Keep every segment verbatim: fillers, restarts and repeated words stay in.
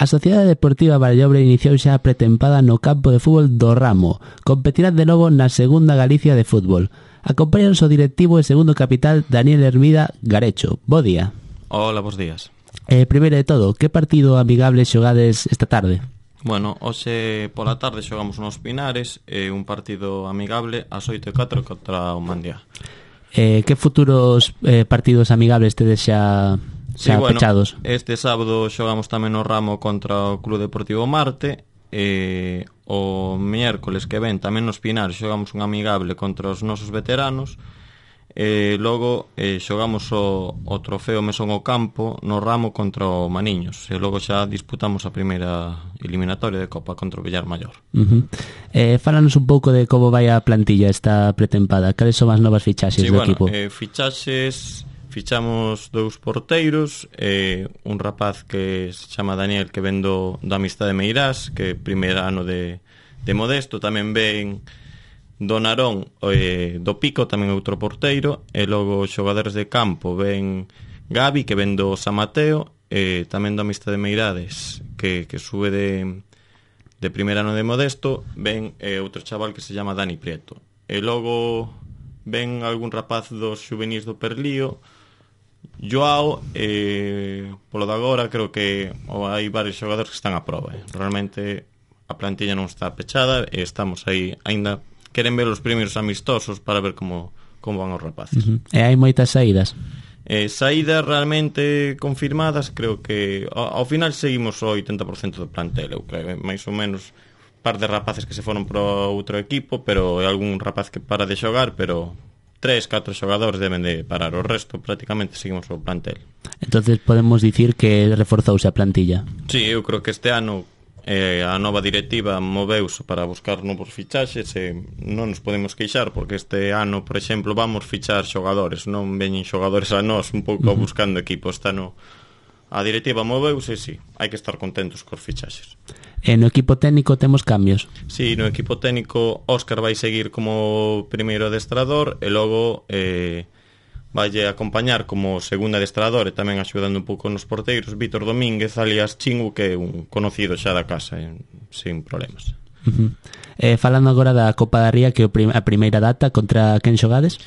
A Sociedade Deportiva Vallobre iniciou xa a pretempada no campo de fútbol do Ramo. Competirán de novo na segunda Galicia de fútbol. Acompáñanos o directivo e segundo capital Daniel Hermida Garecho. Bo día. Hola, bos días. Eh, primeiro de todo, que partido amigable xogades esta tarde? Bueno, hoxe pola tarde xogamos nos Pinares e un partido amigable ás oito e catro contra o Mandiá. Eh, que futuros eh, partidos amigables tedes xa, xa sí, bueno, pechados? Este sábado xogamos tamén no Ramo contra o Club Deportivo Marte e o miércoles que ven tamén nos Pinares xogamos un amigable contra os nosos veteranos e logo eh, xogamos o, o trofeo Mesón ao Campo no Ramo contra o Maniños e logo xa disputamos a primeira eliminatoria de Copa contra o Villar Maior. Uh-huh. eh, Fálanos un pouco de como vai a plantilla esta pretempada. Cales son as novas fichaxes sí, do bueno, equipo? Eh, fichaxes, fichamos dous porteiros, eh, un rapaz que se chama Daniel que ven do, do Amistade Meirás, que é primeiro ano de, de Modesto. Tamén ven do Narón, eh, do Pico, tamén outro porteiro, e logo os xogadores de campo ven Gabi, que ven do San Mateo, e tamén do Amistade Meirades, que, que sube de, de primeiro ano de Modesto, ven eh, outro chaval que se chama Dani Prieto. E logo ven algún rapaz dos xuvenís do Perlío, Joao, eh, polo de agora creo que oh, hai varios xogadores que están a prova. Eh. Realmente a plantilla non está pechada e estamos aí aínda. Queren ver os primeiros amistosos para ver como, como van os rapaces. Uh-huh. E hai moitas saídas? Eh, saídas realmente confirmadas, creo que ao, ao final seguimos o oitenta por cento do plantel, eu creo, máis ou menos par de rapaces que se foron para outro equipo, pero é algún rapaz que para de xogar, pero tres, catro xogadores deben de parar, o resto prácticamente seguimos o plantel. Entonces podemos dicir que reforzouse a plantilla? Sí, eu creo que este ano eh, a nova directiva moveuse para buscar novos fichaxes e non nos podemos queixar porque este ano, por exemplo, vamos fichar xogadores, non veñen xogadores a nós un pouco uh-huh. buscando equipo. Este ano a directiva moveuse e sí, hai que estar contentos cos fichaxes. E no equipo técnico temos cambios? Sí, no equipo técnico Óscar vai seguir como primeiro adestrador e logo eh, vaille acompañar como segundo adestrador e tamén axudando un pouco nos porteiros Vítor Domínguez, alias Chingu, que é un conocido xa da casa, eh, sin problemas. Uh-huh. eh, Falando agora da Copa da Ría, que é a primeira data, contra quen xogades?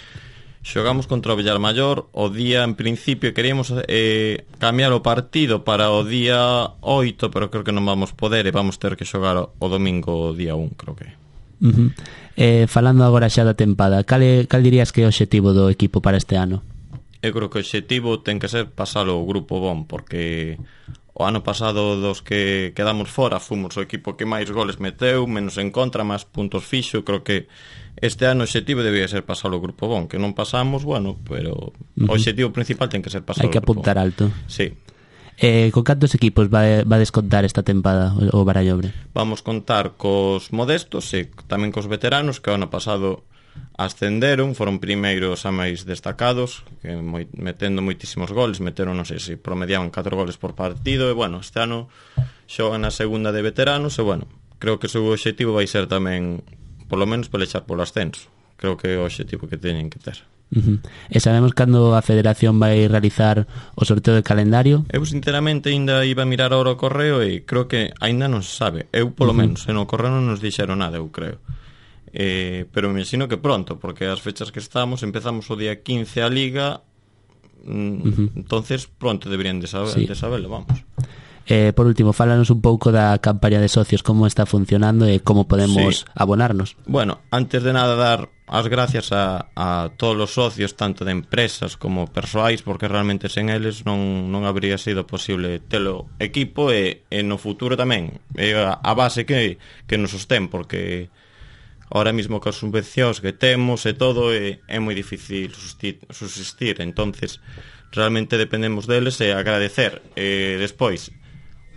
Xogamos contra o Villar Maior. O día, en principio, queríamos eh, cambiar o partido para o día oito, pero creo que non vamos poder e vamos ter que xogar o, o domingo día un, creo que. Uh-huh. eh, Falando agora xa da tempada, cal, é, cal dirías que é o obxectivo do equipo para este ano? Eu creo que o obxectivo ten que ser pasalo o grupo bon, porque o ano pasado dos que quedamos fora fomos o equipo que máis goles meteu, menos en contra, máis puntos fixo. Creo que este ano o obxectivo debía ser pasalo o grupo bon, que non pasamos, bueno, pero uh-huh. o obxectivo principal ten que ser pasalo o grupo bon. Hai que apuntar alto. Sí. Eh, con cantos equipos va, va a descontar esta tempada o Barallobre? Vamos contar cos modestos e tamén cos veteranos que o ano pasado ascenderon, foron primeiros a máis destacados, que moi, metendo moitísimos goles, meteron, non sei se promediaban catro goles por partido, e bueno, este ano xogan a segunda de veteranos e bueno, creo que o seu obxectivo vai ser tamén polo menos pelexar polo ascenso. Creo que é o obxectivo que teñen que ter. Uh-huh. E sabemos cando a Federación vai realizar o sorteo de calendario? Eu sinceramente ainda iba a mirar ahora o correo e creo que ainda non se sabe. Eu polo uh-huh. menos, en o correo non nos dixeron nada, eu creo. Eh, pero me imagino que pronto, porque as fechas que estamos, empezamos o día quince a Liga, mm, uh-huh. entonces pronto deberían de, saber, sí. de saberlo, vamos. Eh, por último, fálanos un pouco da campaña de socios, como está funcionando e como podemos sí. abonarnos. Bueno, antes de nada dar as gracias a, a todos os socios, tanto de empresas como persoais, porque realmente sen eles non, non habría sido posible telo equipo e, e no futuro tamén é a, a base que, que nos sostén, porque ahora mismo que as subvencións que temos e todo é, é moi difícil susistir, susistir. Entonces realmente dependemos deles e agradecer. E despois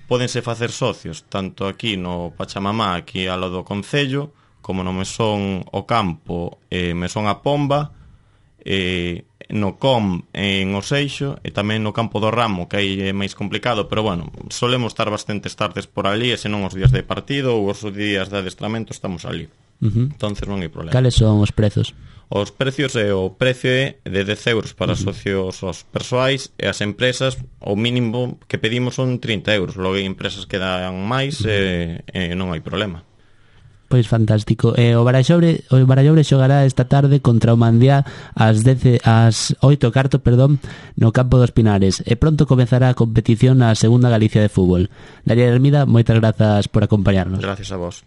pódense facer socios tanto aquí no Pachamamá, aquí ao lado do Concello, como no Mesón o Campo e Mesón a Pomba, e, no C O M en Oseixo e tamén no campo do Ramo, que aí é máis complicado, pero bueno, solemos estar bastantes tardes por ali, e senón os días de partido ou os días de adestramento estamos ali. Uh-huh. Entonces non hai problema. Cales son os prezos? Os precios é o precio é de dez euros para uh-huh. socios os persoais, e as empresas o mínimo que pedimos son trinta euros. Logo hai empresas que dan máis uh-huh. e, e non hai problema. Pois fantástico. Eh, o Barallobre, o Barallobre xogará esta tarde contra o Mandiá ás dez, ás oito e cuarto, perdón, no campo dos Pinares. E pronto comezará a competición na Segunda Galicia de Fútbol. Daniel Hermida, moitas grazas por acompañarnos. Gracias a vos.